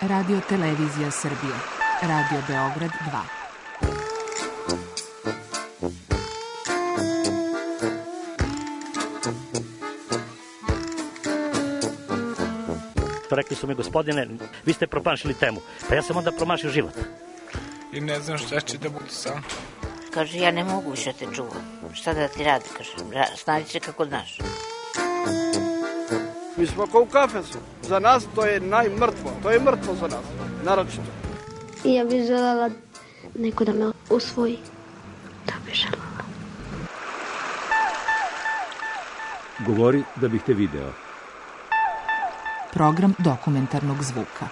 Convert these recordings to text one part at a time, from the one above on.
Radio Televizija Srbije. Radio Beograd 2. Rekli su mi, gospodine, vi ste promašili temu. Pa ja sam onda promašio život. I ne znam šta će da bude sam. Kaže, ja ne mogu više te čuvam. Šta da ti radi, kaže, snađi se kako znaš. Mi smo kao u kafesu. Za nas to je najmrtvo. To je mrtvo za nas, naročito. I ja bih želela neko da me usvoji. Da bih želela. Govori da bih te video. Program dokumentarnog zvuka.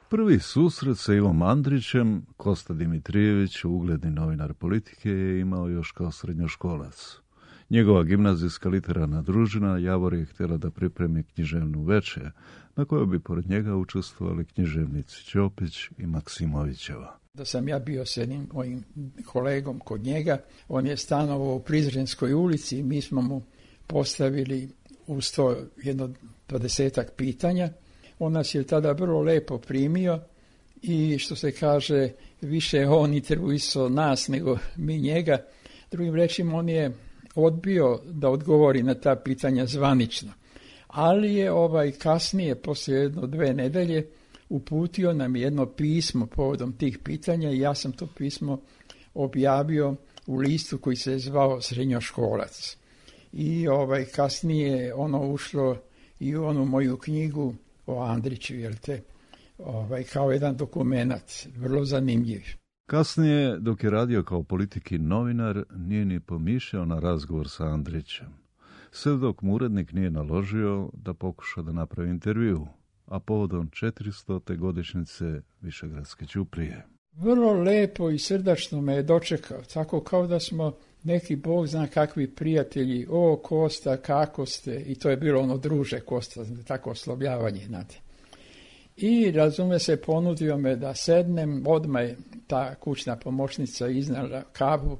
Prvi susret sa Ivom Andrićem Kosta Dimitrijević, ugledni novinar Politike, je imao još kao srednjoškolac. Njegova gimnazijska literarna družina Javor je htjela da pripremi književnu večer, na kojoj bi pored njega učestvovali književnici Ćopić i Maksimovićeva. Da sam ja bio s jednim mojim kolegom kod njega, on je stanovao u Prizrenskoj ulici i mi smo mu postavili uz to jedno 20-ak pitanja. On nas je tada vrlo lepo primio i što se kaže, više on intervjuisao nas nego mi njega. Drugim rečima, on je odbio da odgovori na ta pitanja zvanično. Ali je kasnije, poslije 1-2 nedelje, uputio nam jedno pismo povodom tih pitanja i ja sam to pismo objavio u listu koji se zvao Srednjoškolac. I kasnije ono ušlo i u onu moju knjigu o Andriću, kao jedan dokumenat, vrlo zanimljiv. Kasnije, dok je radio kao politiki novinar, nije ni pomišljao na razgovor sa Andrićem. Sve dok mu urednik nije naložio da pokuša da napravi intervju, a povodom 400. godišnjice Višegradske ćuprije. Vrlo lepo i srdačno me je dočekao, tako kao da smo neki bog zna kakvi prijatelji. O, Kosta, kako ste? I to je bilo ono, druže Kosta, tako oslovljavanje, znate. I razume se, ponudio me da sednem, odmah je ta kućna pomoćnica iznala kavu,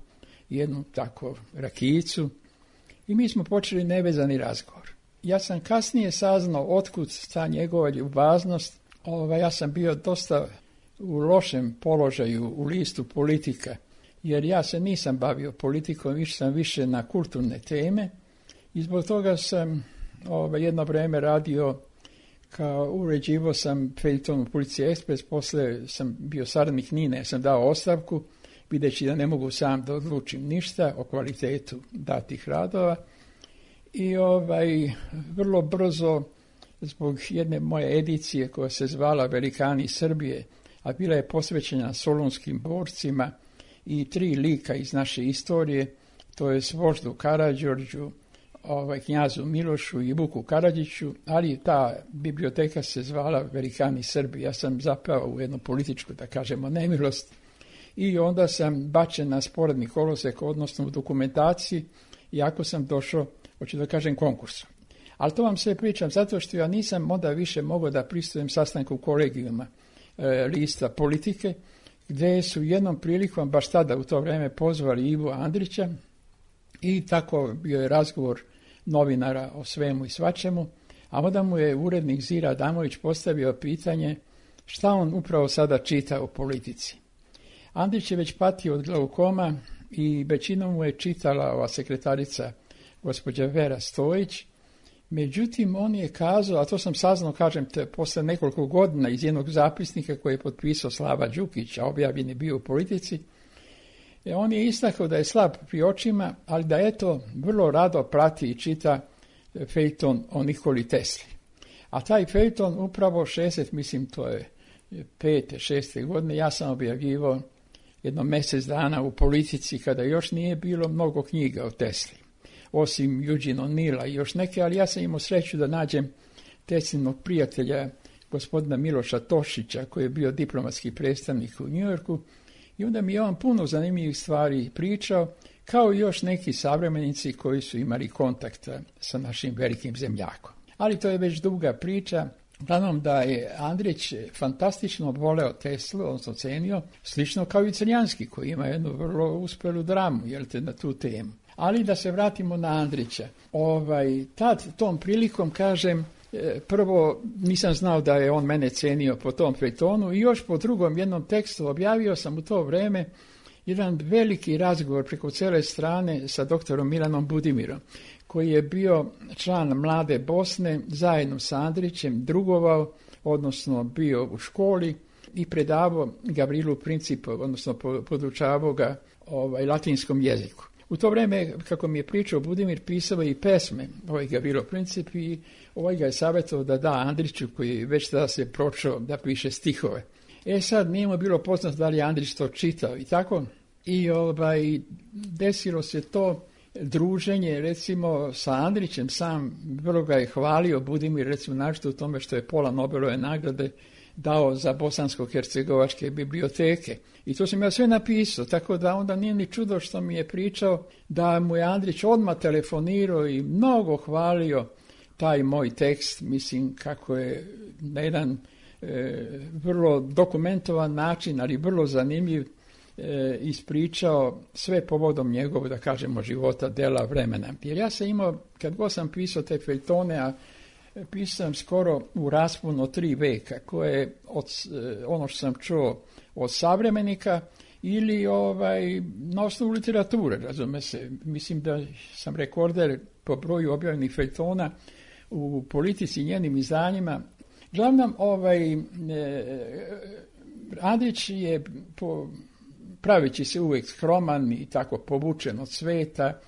jednu tako rakijicu i mi smo počeli nevezani razgovor. Ja sam kasnije saznao otkud ta njegova ljubaznost. Ja sam bio dosta u lošem položaju u listu Politika, jer ja se nisam bavio politikom, išao sam više na kulturne teme i zbog toga sam jedno vrijeme radio uređivo sam feljton u Policija Ekspres, poslije sam bio saradnik Nine, sam dao ostavku, videći da ne mogu sam da odlučim ništa o kvalitetu datih radova. I vrlo brzo, zbog jedne moje edicije koja se zvala Velikani Srbije, a bila je posvećena solunskim borcima i 3 lika iz naše istorije, to je Voždu Karađorđu, knjazu Milošu i Vuku Karadžiću, ali ta biblioteka se zvala Velikani Srbi. Ja sam zapao u jednu političku, da kažemo, nemilost i onda sam bačen na sporedni kolosek, odnosno u dokumentaciji, iako sam došao, hoću da kažem, konkursom. Ali to vam sve pričam zato što ja nisam onda više mogao da pristujem sastanku kolegijuma lista Politike, gdje su jednom prilikom, baš tada u to vrijeme, pozvali Ivu Andrića i tako bio je razgovor novinara o svemu i svačemu, a onda mu je urednik Zira Adamović postavio pitanje šta on upravo sada čita o politici. Andrić je već patio od glaukoma i većinom mu je čitala ova sekretarica gospođa Vera Stojić. Međutim, on je kazao, a to sam saznao, kažem, posle nekoliko godina iz jednog zapisnika koji je potpisao Slava Đukić, a objavljen je bio u Politici, on je istakao da je slab pri očima, ali da eto vrlo rado prati i čita feljton o Nikoli Tesli. A taj feljton upravo 5. 6. godine, ja sam objavljivao jedno mjesec dana u Politici kada još nije bilo mnogo knjiga o Tesli, osim Eugene O'Neilla i još neke, ali ja sam imao sreću da nađem Teslinog prijatelja, gospodina Miloša Tošića, koji je bio diplomatski predstavnik u Njujorku, i onda mi je on puno zanimljivih stvari pričao, kao i još neki savremenici koji su imali kontakta sa našim velikim zemljakom. Ali to je već duga priča. Uglavnom da je Andrić fantastično voleo Teslu, on se cenio, slično kao i Crnjanski, koji ima jednu vrlo uspjelu dramu, na tu temu. Ali da se vratimo na Andrića. Tad tom prilikom kažem, prvo nisam znao da je on mene cenio po tom feljtonu i još po drugom jednom tekstu objavio sam u to vreme jedan veliki razgovor preko cijele strane sa doktorom Milanom Budimirom, koji je bio član Mlade Bosne, zajedno sa Andrićem drugovao, odnosno bio u školi i predavao Gavrilu Principov, odnosno podučavao ga latinskom jeziku. U to vrijeme, kako mi je pričao Budimir, pisao i pesme Gavrilo Princip i ga je savjetovao da da Andriću, koji već tada se pročao da piše stihove. Sad nije mu bilo poznato da li je Andrić to čitao i tako. I desilo se to druženje, recimo, sa Andrićem, sam vrlo ga je hvalio Budimir, recimo, našto u tome što je pola Nobelove nagrade dao za bosansko-hercegovačke biblioteke. I to sam ja sve napisao, tako da onda nije ni čudo što mi je pričao da mu je Andrić odmah telefonirao i mnogo hvalio taj moj tekst, mislim kako je na jedan vrlo dokumentovan način, ali vrlo zanimljiv, ispričao sve povodom njegovog, da kažemo, života, dela, vremena. Jer ja sam imao, kad god sam pisao te feljtone, a pisao sam skoro u rasponu od 3 veka, koje ono što sam čuo od savremenika ili na osnovu literature, razume se. Mislim da sam rekorder po broju objavljenih feljtona u Politici i njenim izdanjima. Glavnom, Andrić je praveći se uvijek skroman i tako povučen od sveta.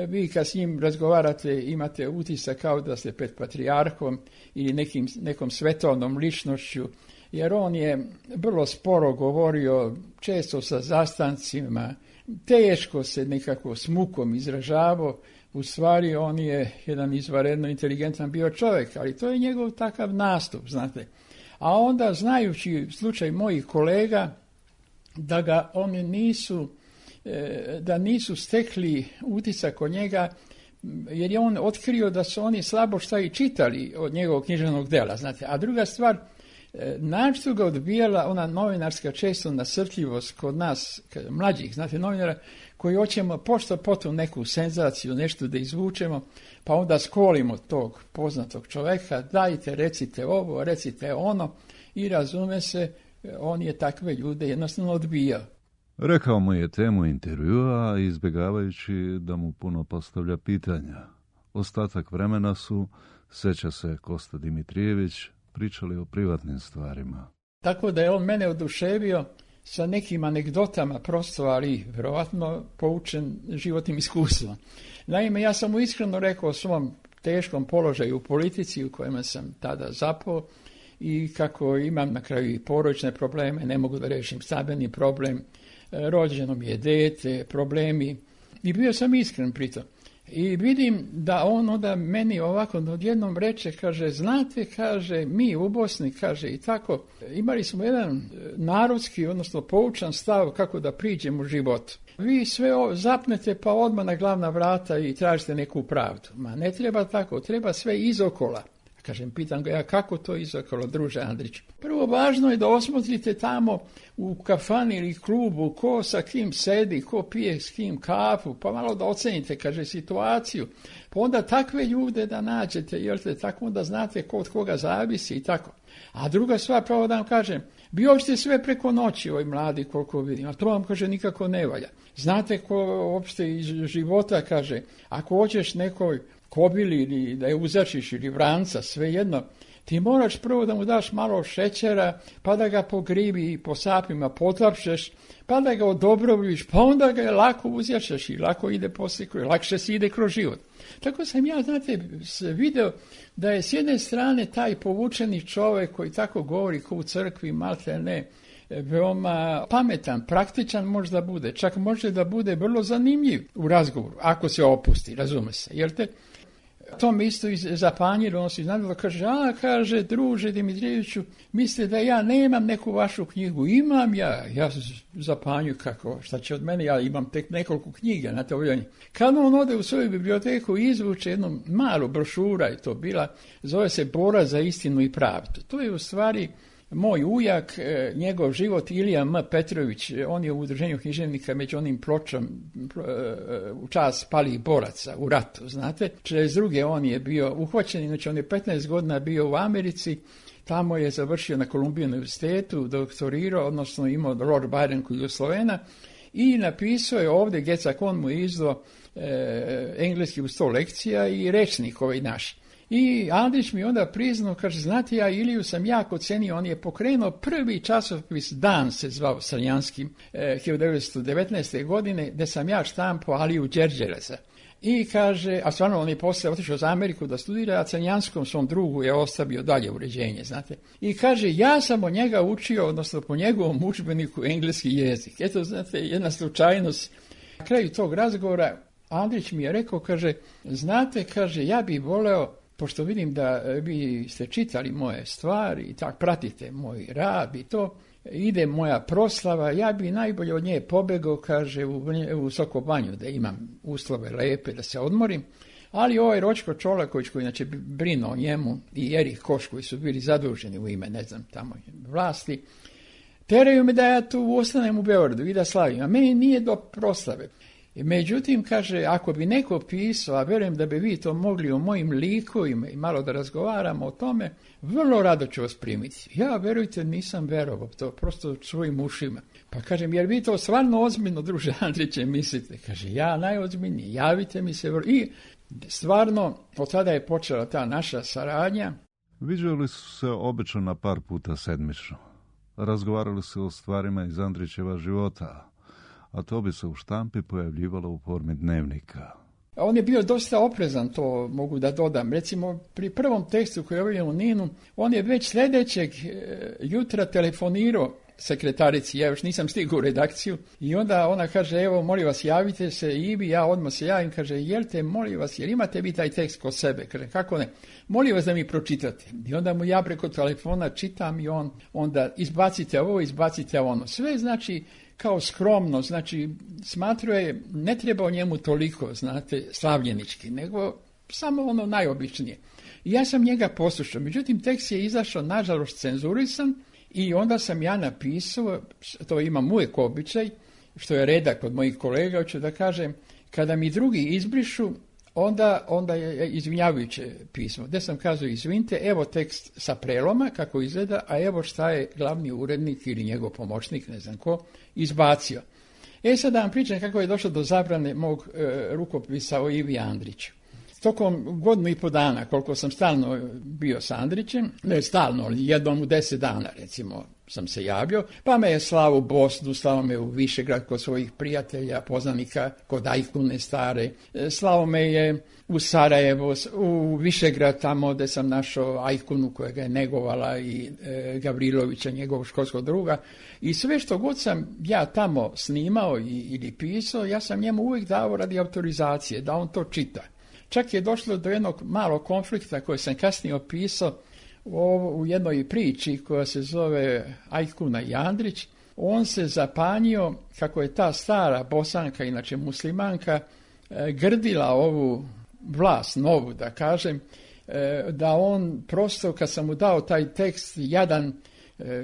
Vi kad s njim razgovarate imate utisak kao da ste pred patrijarhom ili nekom svetovnom ličnošću, jer on je vrlo sporo govorio, često sa zastancima, teško se nekako s mukom izražavao. U stvari on je jedan izvanredno inteligentan bio čovjek, ali to je njegov takav nastup, znate. A onda, znajući slučaj mojih kolega, da ga oni nisu stekli utisak od njega, jer je on otkrio da su oni slabo šta i čitali od njegovog književnog dela, znate. A druga stvar, našto ga odbijala ona novinarska često nasrtljivost kod nas, mlađih, znate, novinara, koji hoćemo pošto potom neku senzaciju, nešto da izvučemo, pa onda skolimo tog poznatog čoveka, dajte, recite ovo, recite ono, i razume se, on je takve ljude jednostavno odbijao. Rekao mu je temu intervjua, izbjegavajući da mu puno postavlja pitanja. Ostatak vremena su, seća se Kosta Dimitrijević, pričali o privatnim stvarima. Tako da je on mene oduševio sa nekim anegdotama, prosto, ali vjerovatno poučen životnim iskustvom. Naime, ja sam mu iskreno rekao o svom teškom položaju u politici u kojem sam tada zapao i kako imam na kraju i porodične probleme, ne mogu da rešim stambeni problem, rođeno mi je dete, problemi. I bio sam iskren pritom. I vidim da on onda meni ovako odjednom reče, kaže, znate, kaže, mi u Bosni, kaže, i tako, imali smo jedan narodski, odnosno poučan stav kako da priđemo u životu. Vi sve zapnete pa odmah na glavna vrata i tražite neku pravdu. Ma ne treba tako, treba sve izokola. Kažem, pitam ga ja, kako to izokolo, druže Andrić? Prvo, važno je da osmotrite tamo u kafani ili klubu ko sa kim sedi, ko pije s kim kafu, pa malo da ocenite, kaže, situaciju. Pa onda takve ljude da nađete, jer te tako onda znate ko od koga zavisi i tako. A druga stvar, pravo da vam kažem, vi hoćete sve preko noći, ovoj mladi, koliko vidim, a to vam, kaže, nikako ne valja. Znate ko uopšte iz života, kaže, ako hoćeš nekoj kobili ili da je uzačiš ili vranca, svejedno, ti moraš prvo da mu daš malo šećera, pa da ga po gribi i po sapima potapšeš, pa da ga odobroviš, pa onda ga lako uzjačeš i lako ide poslije, lakše si ide kroz život. Tako sam ja, znate, video da je s jedne strane taj povučeni čovjek koji tako govori ko u crkvi, malte ne, veoma pametan, praktičan možda bude, čak može da bude vrlo zanimljiv u razgovoru, ako se opusti, razume se, jer te to mi isto zapanjilo, on se iznadilo, kaže, druže Dimitrijeviću, mislite da ja nemam neku vašu knjigu? Imam ja zapanju, kako, šta će od mene, ja imam tek nekoliko knjiga na to. Kad on ode u svoju biblioteku i izvuče jednu malu brošura, je to bila, zove se Bora za istinu i pravdu. To je u stvari moj ujak, njegov život, Ilija M. Petrović, on je u udruženju književnika među onim pločom u čast palih boraca u ratu, znate. 42. on je bio uhvaćen, znači on je 15 godina bio u Americi, tamo je završio na Columbia univerzitetu, doktorirao, odnosno imao Lord Byron koji je Slovena, i napisao je ovdje, Gecak, on mu je izdao engleski u 100 lekcija i rečnik ovaj naš. I Andrić mi onda priznao, kaže, znate, ja Iliju sam jako cenio, on je pokrenuo prvi časopis Dan, se zvao Crnjanskim, 1919. godine, gdje sam ja štampao Aliju Đerđereza. I kaže, a stvarno on je poslije otišao za Ameriku da studira, a Crnjanskom svom drugu je ostavio dalje uređenje, znate. I kaže, ja sam od njega učio, odnosno po njegovom udžbeniku engleski jezik. Eto, znate, jedna slučajnost. Na kraju tog razgovora Andrić mi je rekao, kaže, znate, kaže, ja bih voleo, pošto vidim da vi ste čitali moje stvari i tak pratite moj rad i to, ide moja proslava, ja bi najbolje od nje pobegao, kaže, u Sokobanju, da imam uslove lepe, da se odmorim, ali ovaj Ročko Čolaković, koji inače brinuo o njemu, i Erih Koš, koji su bili zaduženi u ime, ne znam, tamo vlasti, teraju me da ja tu ostanem u Beogradu i da slavim, a meni nije do proslave. Međutim, kaže, ako bi neko pisao, a verujem da bi vi to mogli o mojim likovima i malo da razgovaramo o tome, vrlo rado ću vas primiti. Ja, verujte, nisam verovao, to prosto svojim ušima. Pa kažem, jer vi to stvarno ozbiljno, druže Andriće, mislite? Kaže, ja najozbiljnije, javite mi se. I stvarno, od tada je počela ta naša saradnja. Viđali su se obično na par puta sedmično. Razgovarali su o stvarima iz Andrićeva života, a to bi se u štampi pojavljivalo u formi dnevnika. On je bio dosta oprezan, to mogu da dodam. Recimo, pri prvom tekstu koji je objavljen u Ninu, on je već sljedećeg jutra telefonirao sekretarici, ja još nisam stigao u redakciju, i onda ona kaže, evo, molim vas, javite se, Ivi, ja odmah se javim, kaže, jel molim vas, jer imate vi taj tekst kod sebe? Kaže, kako ne? Molim vas da mi pročitate. I onda mu ja preko telefona čitam i on onda izbacite ovo, izbacite ono. Sve znači kao skromno, znači smatrao je, ne treba o njemu toliko, znate, slavljenički, nego samo ono najobičnije. I ja sam njega poslušao, međutim tekst je izašao, nažalost, cenzurisan, i onda sam ja napisao, to imam uvijek običaj, što je redak od mojih kolega, hoću da kažem, kada mi drugi izbrišu, onda je izvinjavajuće pismo, gdje sam kazao, izvinite, evo tekst sa preloma, kako izgleda, a evo šta je glavni urednik ili njegov pomoćnik, ne znam ko, izbacio. Sad da vam pričam kako je došlo do zabrane mog rukopisa o Ivi Andriću. Tokom godinu i po dana, koliko sam stalno bio sa Andrićem, ne stalno, jednom u 10 dana, recimo, sam se javio, pa me je slao u Bosnu, slao me u Višegrad kod svojih prijatelja, poznanika, kod Ajkune stare, slao me je u Sarajevo, u Višegrad, tamo gdje sam našao Ajkunu koja ga je negovala i Gavrilovića, njegovog školskog druga, i sve što god sam ja tamo snimao ili pisao, ja sam njemu uvijek dao radi autorizacije, da on to čita. Čak je došlo do jednog malog konflikta koji sam kasnije opisao u jednoj priči koja se zove Ajkuna i Andrić. On se zapanjio kako je ta stara Bosanka, inače muslimanka, grdila ovu vlast novu, da kažem, da on prosto, kad sam mu dao taj tekst jadan,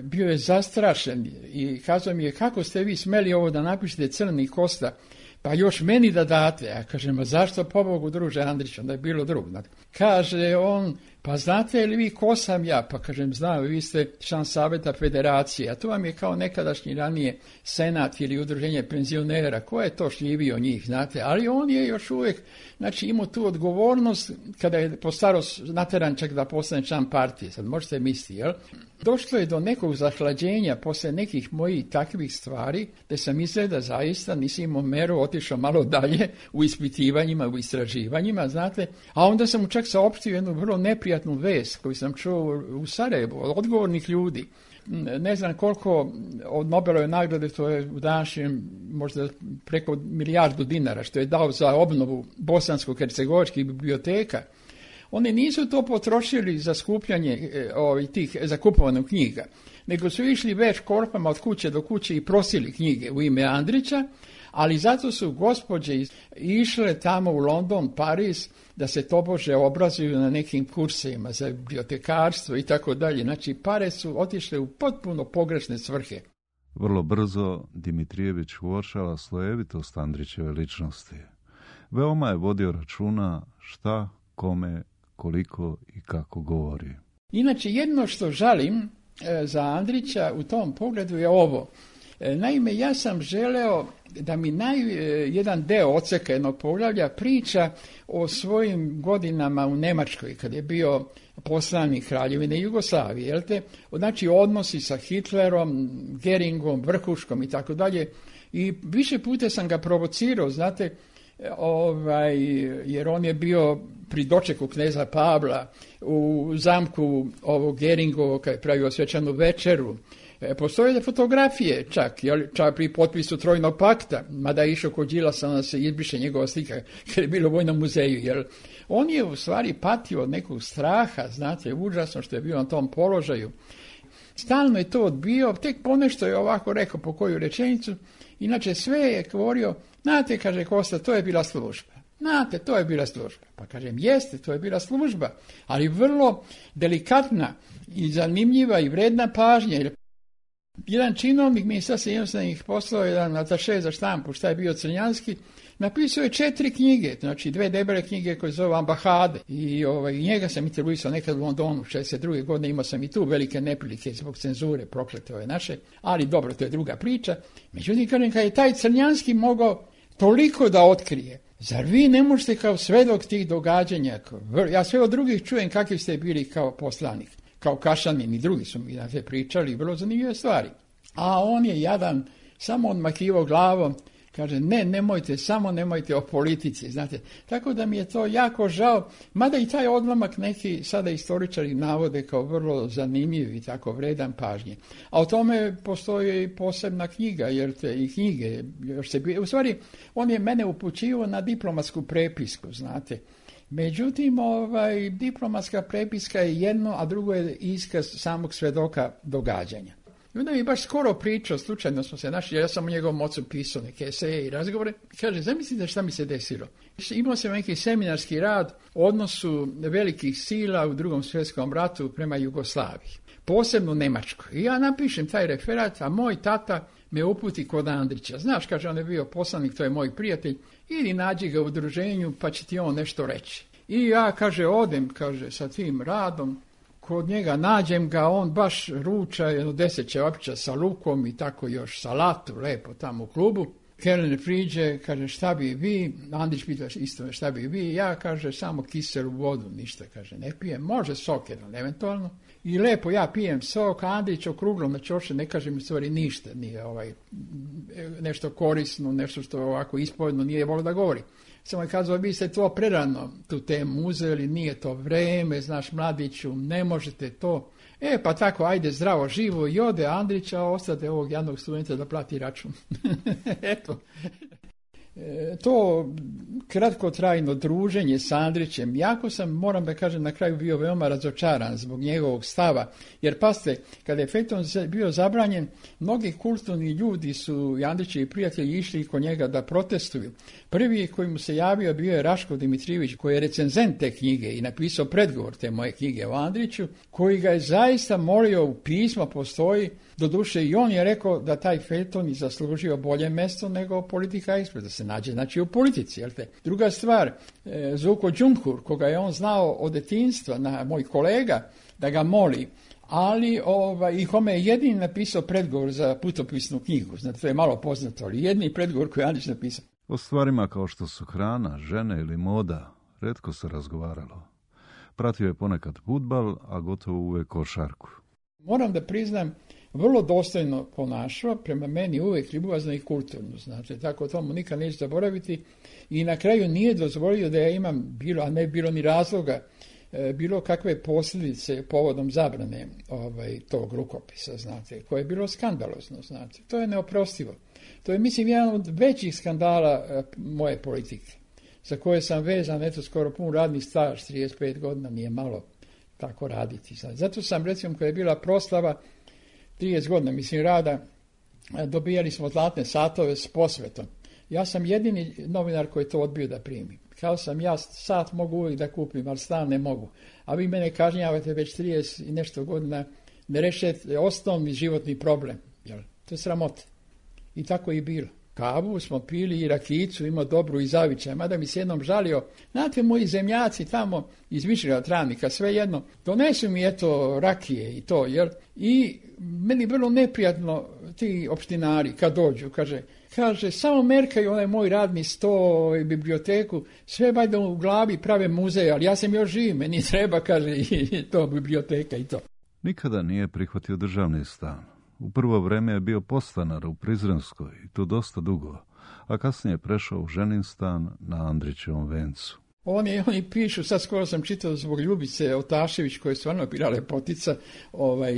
bio je zastrašen i kazao mi je, kako ste vi smeli ovo da napišete Crni Kosta, pa još meni da date. Ja kažem, a zašto pobogu, druže Andrić, onda je bilo drugo. Kaže on, pa znate li vi ko sam ja? Pa kažem, znam, vi ste član Saveta Federacije, a to vam je kao nekadašnji ranije senat ili udruženje penzionera. Ko je to šljivio njih, znate? Ali on je još uvijek, znači, imao tu odgovornost kada je postaro nateran čak da postane član partije. Sad možete misliti, jel? Došlo je do nekog zahlađenja posle nekih mojih takvih stvari, da sam izgleda zaista, nisam imao meru, otišao malo dalje u ispitivanjima, u istraživanjima, znate, a onda sam mu čak saopštio jednu vrlo neprijatnu vest koju sam čuo u Sarajevu od odgovornih ljudi. Ne znam koliko od Nobelove nagrade, to je u današnjem možda preko $1 milijardu što je dao za obnovu bosansko-hercegovačkih biblioteka. Oni nisu to potrošili za skupljanje za kupovanu knjiga, nego su išli već korpama od kuće do kuće i prosili knjige u ime Andrića, Ali zato su gospođe išle tamo u London, Pariz, da se tobože obrazuju na nekim kursevima za bibliotekarstvo i tako dalje. Znači, pare su otišle u potpuno pogrešne svrhe. Vrlo brzo Dimitrijević uočava slojevitost Andrićeve ličnosti. Veoma je vodio računa šta, kome, koliko i kako govori. Inače, jedno što žalim za Andrića u tom pogledu je ovo. Naime, ja sam želeo da mi jedan deo odseka jednog poglavlja priča o svojim godinama u Njemačkoj, kad je bio poslanik Kraljevine Jugoslavije, jel te? Znači, odnosi sa Hitlerom, Geringom, Vrhuškom i tako dalje. I više puta sam ga provocirao, znate, jer on je bio pri dočeku kneza Pavla u zamku ovog Geringovog, kad je pravio svečanu večeru. Postoje fotografije čak pri potpisu Trojnog pakta, mada je išao kod Đilasa, onda se izbriše njegova slika, kad je bilo u Vojnom muzeju, jer on je u stvari patio od nekog straha, znate, užasno što je bio na tom položaju. Stalno je to odbio, tek ponešto je ovako rekao po koju rečenicu, inače sve je govorio, znate, kaže Kosta, to je bila služba. Znate, to je bila služba. Pa kažem, jeste, to je bila služba, ali vrlo delikatna i zanimljiva i vredna pažnja. Jedan činovnik Ministarstva inostranih poslova, jedan ataše za štampu, šta je bio Crnjanski, napisao je 4 knjige, znači 2 debele knjige koje zove Ambahade. I njega sam intervjuisao nekad u Londonu, 62. godine, imao sam i tu velike neprilike zbog cenzure, proklete ove naše, ali dobro, to je druga priča. Međutim, kažem, kad je taj Crnjanski mogao toliko da otkrije, zar vi ne možete kao svedok tih događanja, ja sve od drugih čujem kakvi ste bili kao poslanik, kao Kašanin i drugi su mi na te pričali, vrlo zanimljive stvari. A on je jadan, samo odmakivao glavom, kaže, nemojte o politici, znate. Tako da mi je to jako žao, mada i taj odlomak neki sada istoričari navode kao vrlo zanimljiv i tako vredan pažnje. A o tome postoji i posebna knjiga, jer i knjige, u stvari, on je mene upućivao na diplomatsku prepisku, znate. Međutim, diplomatska prepiska je jedno, a drugo je iskaz samog svedoka događanja. I onda mi baš skoro pričao, slučajno smo se našli, ja sam u njegovom ocu pisao neke eseje i razgovore, kaže, zamislite šta mi se desilo. Imao sam neki seminarski rad o odnosu velikih sila u Drugom svjetskom ratu prema Jugoslaviji, posebno Njemačkoj. I ja napišem taj referat, a moj tata me uputi kod Andrića. Znaš, kaže, on je bio poslanik, to je moj prijatelj, ili nađi ga u udruženju pa će ti on nešto reći. I ja, kaže, odem, kaže, sa tim radom, kod njega nađem ga, on baš ruča, 10 ćevapića sa lukom i tako još salatu, lepo tamo u klubu. Kelner priđe, kaže, šta bi vi? Andrić pita isto, šta bi vi? Ja, kaže, samo kiselu vodu, ništa, kaže, ne pijem. Može sok jedan, eventualno. I lepo ja pijem sok, a Andrić okruglo na čoše, ne kaže mi stvari ništa, nije nešto korisno, nešto što ovako ispovedno nije volio da govori. Samo je kazao, vi ste to prerano tu temu uzeli, nije to vreme, znaš, mladiću, ne možete to. Pa tako, ajde, zdravo, živo, i ode Andrića, a ostade ovog jednog studenta da plati račun. Eto. To kratkotrajno druženje s Andrićem, jako sam, moram da kažem, na kraju bio veoma razočaran zbog njegovog stava, jer pazite, kada je Fejton bio zabranjen, mnogi kulturni ljudi su, Andrićevi prijatelji, išli kod njega da protestuju. Prvi koji mu se javio bio je Raško Dimitrijević, koji je recenzent te knjige i napisao predgovor te moje knjige o Andriću, koji ga je zaista molio, u pisma postoji, doduše i on je rekao da taj Fejton je zaslužio bolje mesto nego politika ekspres, da se nađe, znači, u politici. Jel te? Druga stvar, Zuko Đunkur, koga je on znao od detinjstva, moj kolega, da ga moli, ali i kome je jedini napisao predgovor za putopisnu knjigu. Znate, to je malo poznato, ali jedini predgovor koji je Andrić napisao. O stvarima kao što su hrana, žene ili moda, retko se razgovaralo. Pratio je ponekad fudbal, a gotovo uvek košarku. Moram da priznam, vrlo dostojno ponašao, prema meni uvijek ljubazno i kulturno, znači, tako tomu nikad neću zaboraviti i na kraju nije dozvolio da ja imam a ne bilo ni razloga, bilo kakve posljedice povodom zabrane tog rukopisa, znate, koje je bilo skandalozno, znate, to je neoprostivo. To je, mislim, jedan od većih skandala moje politike, za koje sam vezan, skoro pun radni staž, 35 godina, nije malo tako raditi. Znate. Zato sam, recimo, kada je bila proslava 30 godina, rada, dobijali smo zlatne satove s posvetom. Ja sam jedini novinar koji to odbio da primi. Kao sam ja sat mogu uvijek da kupim, ali stan ne mogu. A vi mene kažnjavate već 30 i nešto godina, ne rešete osnovni životni problem. Jel? To je sramota. I tako je i bilo. Kavu smo pili i rakicu, imao dobru i zavičaj, mada mi se jednom žalio. Znate, moji zemljaci tamo iz Višega Travnika, svejedno, donesu mi eto rakije i to, jer i meni bilo neprijatno ti opštinari kad dođu, kaže, samo merkaju onaj moj radni sto i biblioteku, sve valjda u glavi prave muzeje, ali ja sam još živ, meni treba, kaže, i to biblioteka i to. Nikada nije prihvatio državni stan. U prvo vreme je bio podstanar u Prizrenskoj i to dosta dugo, a kasnije je prešao u ženin stan na Andrićevom vencu. Oni pišu, sad skoro sam čitao zbog Ljubice Otašević, koja je stvarno bila lepotica,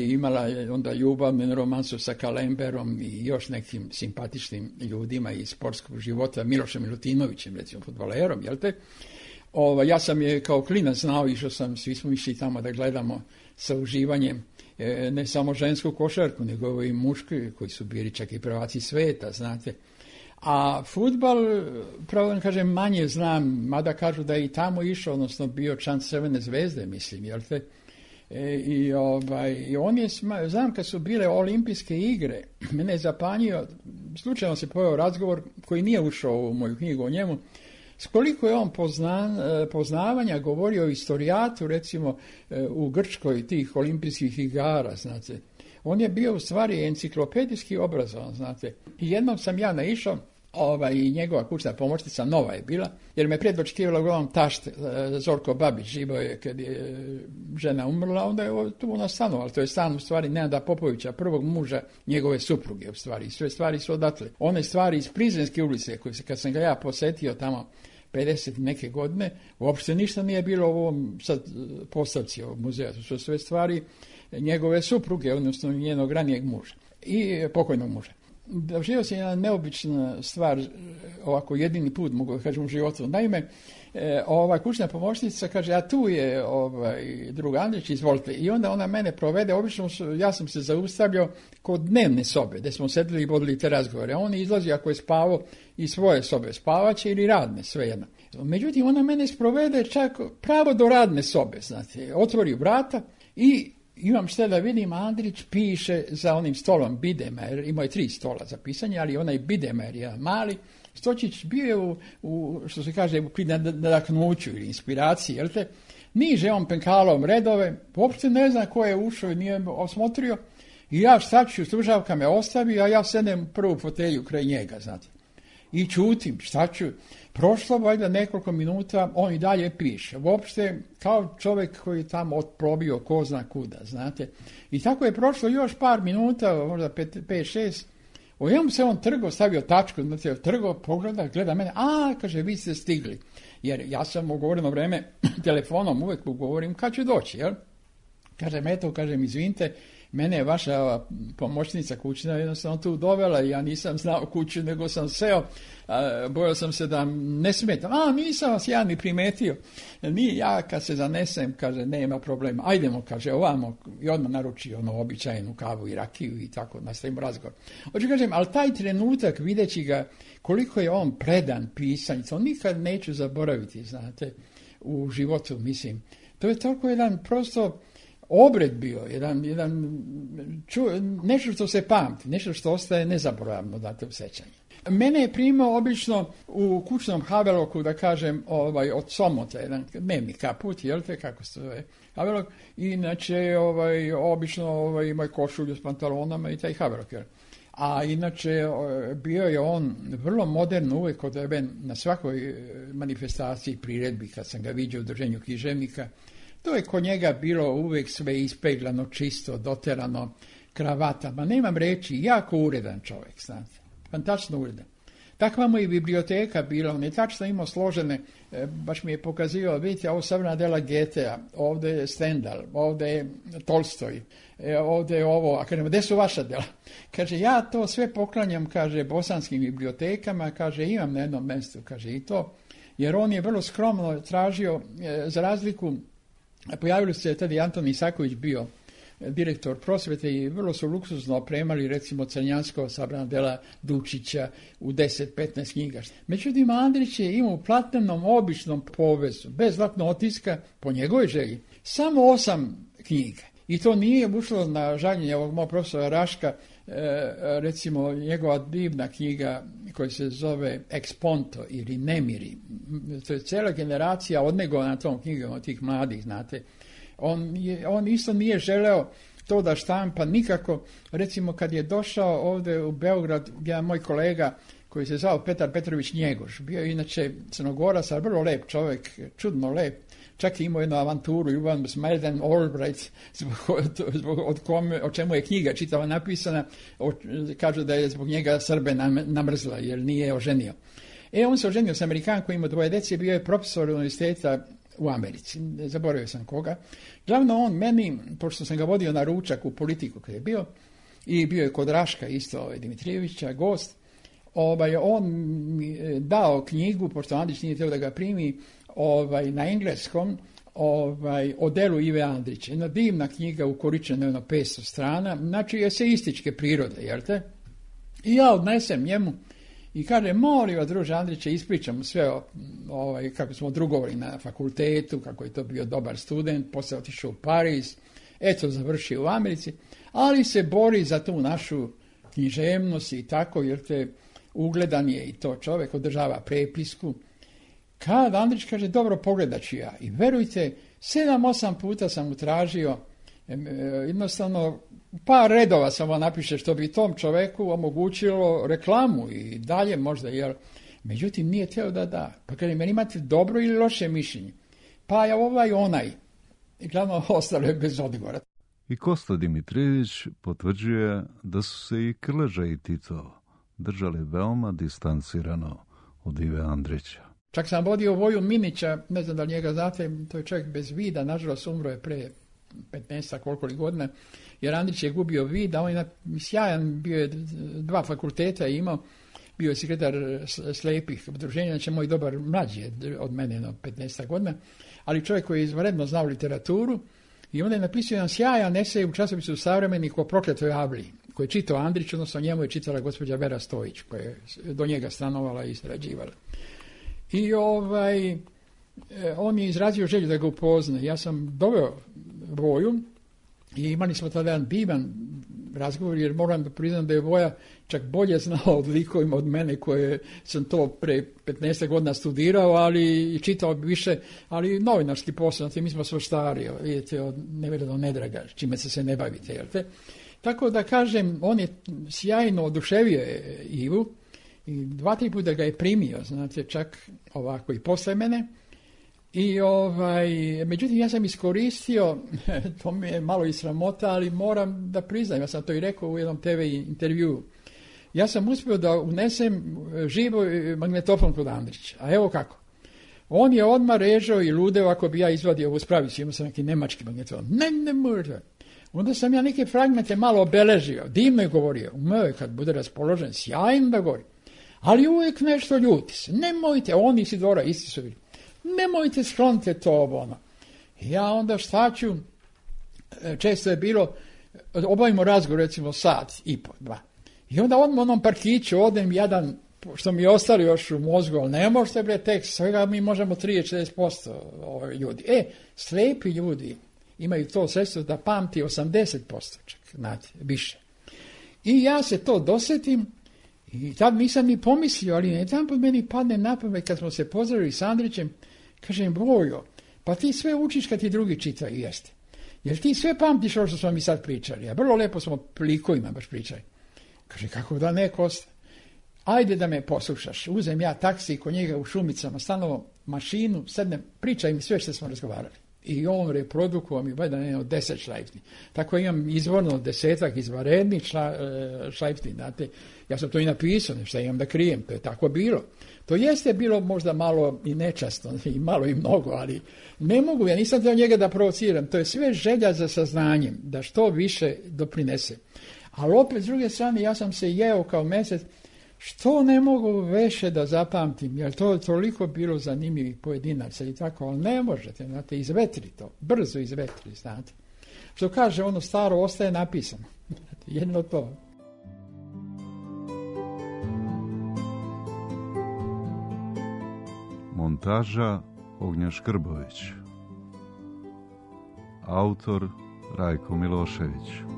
imala je onda ljubavnu romansu sa Kalemberom i još nekim simpatičnim ljudima iz sportskog života, Milošem Milutinovićem, recimo fudbalerom, jel te? Ja sam je kao klinac znao, išao sam, svi smo išli tamo da gledamo sa uživanjem, ne samo žensku košarku, nego i muški, koji su bili čak i prvaci sveta, znate. A fudbal, pravo da kažem, manje znam, mada kažu da je i tamo išao, odnosno bio član Crvene zvezde, mislim, jel te? I on je, znam kad su bile olimpijske igre, mene je zapanjio, slučajno se pojao razgovor koji nije ušao u moju knjigu o njemu, s koliko je on poznavanja govorio o istorijatu, recimo u Grčkoj tih olimpijskih igara, znate. On je bio u stvari enciklopedijski obrazovan, znate. I jednom sam ja naišao, i njegova kućna pomoćnica, nova je bila, jer me predočekivala uglavnom tašt Zorko Babić, živo je kad je žena umrla, onda je tu ona stanovala. To je stan u stvari Nenada Popovića, prvog muža njegove supruge u stvari. Sve stvari su odatle. One stvari iz Prizrenske ulice, koje kad sam ga ja posetio tamo 50 neke godine, uopšte ništa nije bilo u ovom sad postavci ovog muzeja. To su sve stvari njegove supruge, odnosno njenog ranijeg muža i pokojnog muža. Doživio se jedna neobična stvar, ovako jedini put mogu da kažem u životu. Naime, ova kućna pomoćnica kaže, a tu je drug Andrić, izvolite. I onda ona mene provede, obično ja sam se zaustavljao kod dnevne sobe, gde smo sedeli i vodili te razgovore. A on izlazi ako je spavao iz svoje sobe, spavaće ili radne, svejedno. Međutim, ona mene sprovede čak pravo do radne sobe, znate, otvori vrata i imam šta da vidim, Andrić piše za onim stolom Bidemer, imao je 3 stola za pisanje, ali onaj Bidemer je mali, Stočić bio je u što se kaže, u nadahnuću ili inspiraciji, jel te? Niže on penkalom redove, uopšte ne zna ko je ušao i nije osmotrio, i ja šta ću, slušavka me ostavi, a ja sedem u prvu fotelju kraj njega, znate. I čutim, šta ću, prošlo valjda nekoliko minuta, on i dalje piše. Uopšte kao čovjek koji je tamo otprobio ko zna kuda, znate. I tako je prošlo još par minuta, možda 5-6. Odjednom se on trgo, stavio tačku, znate, trgo, pogleda, gleda mene, kaže, vi ste stigli. Jer ja sam ugovoreno vreme telefonom uvijek ugovorim kad ću doći, jel? Kažem, izvinite, mene je vaša pomoćnica kućna jednostavno tu dovela i ja nisam znao kuću, nego sam seo, bojao sam se da ne smetam. Nisam vas ja ni primetio. Ja kad se zanesem, kaže, nema problema. Ajdemo, kaže, ovamo, i odmah naruči običajnu kavu i rakiju i tako nastavimo razgovor. Hoću kažem, ali taj trenutak, videći ga, koliko je on predan pisanju, to nikad neću zaboraviti, znate, u životu, mislim. To je toliko jedan prosto obred bio, nešto što se pamti, nešto što ostaje nezaboravno, date u sećanje. Mene je primao obično u kućnom Haveloku, da kažem, od Somota, jedan dnevni kaput, jel te, kako se zove Havelok, inače, obično imao košulju s pantalonama i taj Havelok, jel? A inače, bio je on vrlo modern uvijek od tebe na svakoj manifestaciji, priredbi, kad sam ga vidio u Udruženju književnika. To je kod njega bilo uvijek sve ispeglano, čisto, doterano, kravatama. Nemam reći, jako uredan čovjek, znate. Fantastično uredan. Takva mu je biblioteka bila, on je tačno imao složene, baš mi je pokazivao, vidite, ovo savrna dela Goethea, ovdje je Stendhal, ovdje je Tolstoj, ovdje je ovo, a kažem, gdje su vaša dela? Kaže, ja to sve poklanjam, kaže, bosanskim bibliotekama, kaže, imam na jednom mjestu, kaže, i to, jer on je vrlo skromno tražio, za razliku, pojavili se tada i Anton Isaković bio direktor prosvete i vrlo su luksuzno opremali recimo Crnjanskog sabrana dela Dučića u 10-15 knjiga. Međutim, Andrić je imao u platnenom običnom povezu, bez zlatnog otiska, po njegovoj želji, samo 8 knjiga. I to nije ušlo na žaljenje ovog mog profesora Raška, recimo njegova divna knjiga koja se zove Exponto ili Nemiri. To je cijela generacija odnegovana tom knjigom od tih mladih, znate. On isto nije želeo to da štampa nikako. Recimo kad je došao ovdje u Beograd, jedan moj kolega koji se zvao Petar Petrović Njegoš, bio je inače Crnogorac, ali vrlo lep čovjek, čudno lep. Čak je imao jednu avanturu, ljubav s Madeleine Albright, o čemu je knjiga čitava napisana, kažu da je zbog njega Srbe namrzla, jer nije oženio. On se oženio s Amerikankom, imao 2 djece, bio je profesor univerziteta u Americi, zaboravio sam koga. Glavno on meni, pošto sam ga vodio na ručak u Politiku kada je bio, i bio je kod Raška isto Dimitrijevića, gost, on mi dao knjigu, pošto Andrić nije htio da ga primi, na engleskom, o delu Ive Andrića. Jedna divna knjiga ukoričena jedno 500 strana, znači eseističke prirode, jel te? I ja odnesem njemu i kaže, molim vas, druže Andriće, ispričam sve kako smo drugovali na fakultetu, kako je to bio dobar student, poslije otišao u Pariz, eto završio u Americi, ali se bori za tu našu književnost i tako, jer te ugledan je i to čovjek, održava prepisku. Kad Andrić kaže, dobro, pogledat ću ja. I verujte, 7-8 puta sam mu tražio, jednostavno, par redova samo napiše što bi tom čovjeku omogućilo reklamu i dalje možda, jer međutim nije teo da da. Pa kaže, meni imate dobro ili loše mišljenje? Pa ja onaj. I glavno ostalo je bez odgovora. I Kosta Dimitrijević potvrđuje da su se i Krleža i Tito držali veoma distancirano od Ive Andrića. Čak sam vodio Voju Minića, ne znam da li njega znate, to je čovjek bez vida, nažalost umro je pre 15 koliko li godina, jer Andrić je gubio vid, a on je sjajan, bio je 2 fakulteta imao, bio je sekretar slepih udruženja, znači moj dobar mlađi od mene, 15 godina, ali čovjek koji je izvanredno znao literaturu, i onda je napisao jedan sjajan esej u časopisu Savremenik o prokletoj Avliji, koji je čitao Andrić, odnosno njemu je čitala gospođa Vera Stojić, koja je do njega stanovala i sarađivala. I on je izrazio želju da ga upozna. Ja sam doveo Voju i imali smo tada jedan divan razgovor, jer moram da priznam da je Voja čak bolje znao od likovima od mene, koje sam to pre 15 godina studirao, ali i čitao više, ali novinarski posao, mi smo sve stari, vidite, od nevjera do nedraga, čime se ne bavite, jel te? Tako da kažem, on je sjajno oduševio Ivu, i 2-3 puta ga je primio, znate, čak ovako i posle mene. I međutim, ja sam iskoristio, to mi je malo i sramota, ali moram da priznam, ja sam to i rekao u jednom TV intervjuu. Ja sam uspio da unesem živo magnetofon kod Andrića. A evo kako. On je odmah režao i ludeo ako bi ja izvadio ovu spravicu, imao sam neki nemački magnetofon. Ne može. Onda sam ja neke fragmente malo obeležio, divno je govorio, umeo je kad bude raspoložen, sjajno da govori. Ali uvijek nešto ljuti se. Nemojte, on i Isidora isti su bili. Nemojte, sklonite to Ja onda šta ću, često je bilo, obavimo razgovor recimo 1,5, 2. I onda odmah u onom parkiću odem jedan, što mi je ostalo još u mozgu, ali ne možete tekst, svega mi možemo 30-40% ljudi. Slepi ljudi imaju to sredstvo da pamti 80%, čak, znate, više. I ja se to dosjetim, i tad nisam ni pomislio, ali jedan put meni padne na pamet kad smo se pozdravili s Andrićem, kažem, Vojo, pa ti sve učiš kad ti drugi čitaju, jeste. Jer ti sve pamtiš ovo što smo mi sad pričali, a vrlo lepo smo likovima baš pričali. Kaže, kako da ne, Kosta? Ajde da me poslušaš. Uzem ja taksi kod njega u Šumicama, stanovo mašinu, sednem, pričaj mi sve što smo razgovarali. I on reprodukovao mi valjda jedno 10 šlajfni. Tako imam izvorno 10 izvanrednih šlajfni, znate. Ja sam to i napisao, nešto imam da krijem, to je tako bilo. To jeste bilo možda malo i nečasno, i malo i mnogo, ali ne mogu, ja nisam htio njega da provociram. To je sve želja za saznanjem, da što više doprinese. Ali opet, s druge strane, ja sam se jeo kao mesec, što ne mogu više da zapamtim, jer to je toliko bilo zanimljivih pojedinaca i tako, ali ne možete, znate, izvetri to, brzo izvetri, znate. Što kaže, ono staro ostaje napisano. Jedno to. Montaža Ognjen Škrbović. Autor Rajko Milošević.